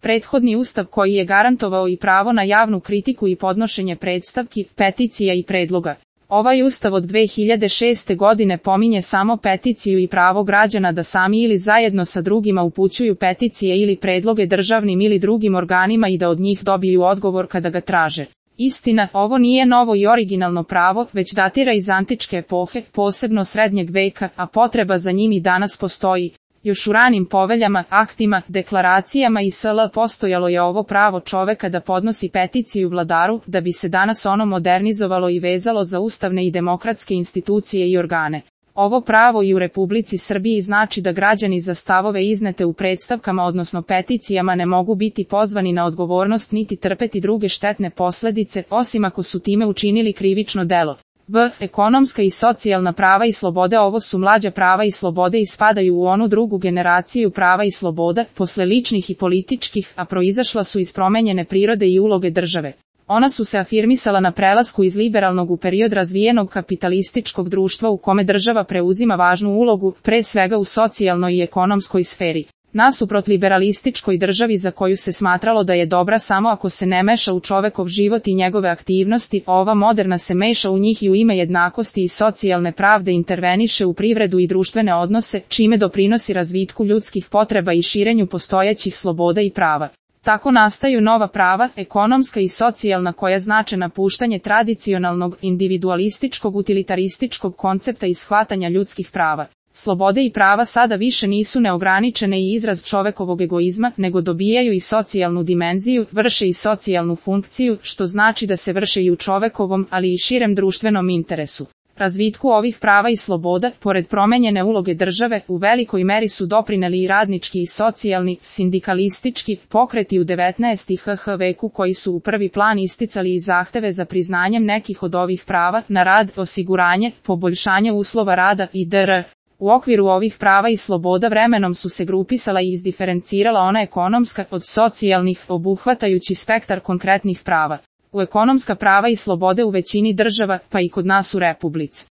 Prethodni ustav koji je garantovao i pravo na javnu kritiku i podnošenje predstavki, peticija i predloga. Ovaj ustav od 2006. godine pominje samo peticiju i pravo građana da sami ili zajedno sa drugima upućuju peticije ili predloge državnim ili drugim organima i da od njih dobiju odgovor kada ga traže. Istina, ovo nije novo i originalno pravo, već datira iz antičke epohe, posebno srednjeg veka, a potreba za njim i danas postoji. Još u ranim poveljama, aktima, deklaracijama i sl. Postojalo je ovo pravo čoveka da podnosi peticiju vladaru, da bi se danas ono modernizovalo i vezalo za ustavne i demokratske institucije i organe. Ovo pravo i u Republici Srbiji znači da građani za stavove iznete u predstavkama odnosno peticijama ne mogu biti pozvani na odgovornost niti trpeti druge štetne posledice, osim ako su time učinili krivično delo. Ekonomska i socijalna prava i slobode. Ovo su mlađa prava i slobode i spadaju u onu drugu generaciju prava i sloboda, posle ličnih i političkih, a proizašla su iz promenjene prirode i uloge države. Ona su se afirmisala na prelasku iz liberalnog u period razvijenog kapitalističkog društva u kome država preuzima važnu ulogu, pre svega u socijalnoj i ekonomskoj sferi. Nasuprot liberalističkoj državi za koju se smatralo da je dobra samo ako se ne meša u čovekov život i njegove aktivnosti, ova moderna se meša u njih i u ime jednakosti i socijalne pravde interveniše u privredu i društvene odnose, čime doprinosi razvitku ljudskih potreba i širenju postojećih sloboda i prava. Tako nastaju nova prava, ekonomska i socijalna, koja znače napuštanje tradicionalnog, individualističkog, utilitarističkog koncepta i shvatanja ljudskih prava. Slobode i prava sada više nisu neograničene i izraz čovekovog egoizma, nego dobijaju i socijalnu dimenziju, vrše i socijalnu funkciju, što znači da se vrše i u čovekovom, ali i širem društvenom interesu. Razvitku ovih prava i sloboda, pored promenjene uloge države, u velikoj meri su doprineli i radnički i socijalni, sindikalistički pokreti u 19. veku koji su u prvi plan isticali i zahteve za priznanjem nekih od ovih prava na rad, osiguranje, poboljšanje uslova rada itd. U okviru ovih prava i sloboda vremenom su se grupisala i izdiferencirala ona ekonomska od socijalnih, obuhvatajući spektar konkretnih prava. U ekonomska prava i slobode u većini država, pa i kod nas u Republici